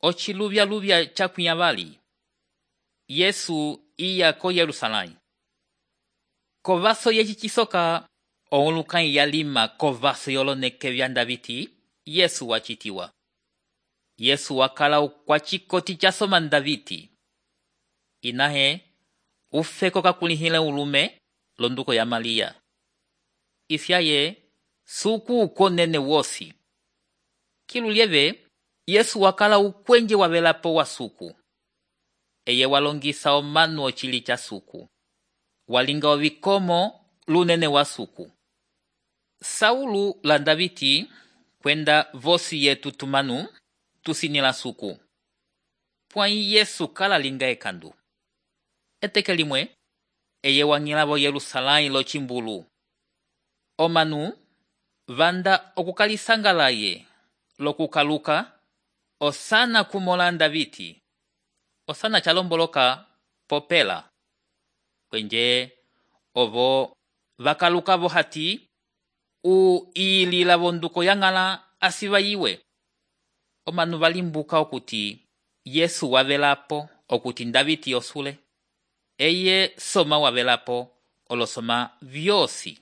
ociluvya chakwinya vali. Yesu iya ko Yerusalém. Kovaso yeci cisoka oulukãyi yalima kovaso yoloneke vya Ndaviti, Yesu wacitiwa. Yesu wakala kwa cikoti casoma Ndaviti. Inahe ufeko kakulihile ulume londuko ya Malia. Ifyaye suku ukonene wosi. Kilulieve Yesu wakala ukwenje wavelapo wa suku. Eye walongisa omanu ocili cha suku. Walinga ovikomo lunene wa suku. Saulu la Ndaviti kwenda vosi yetu tumanu tusinila suku. Pwai Yesu kala linga ekandu. Eteke limwe eye wangilavo Yerusalém lo cimbulu. Omanu vanda okukalisangalaye lokukaluka osana kumola Ndaviti. Osana chalomboloka popela. Kwenje ovo vakalukavo hati uilila vonduko yangala asiva iwe. Omanu valimbuka okuti Yesu wavelapo okuti Ndaviti osule. Eye soma wavelapo olosoma vyosi.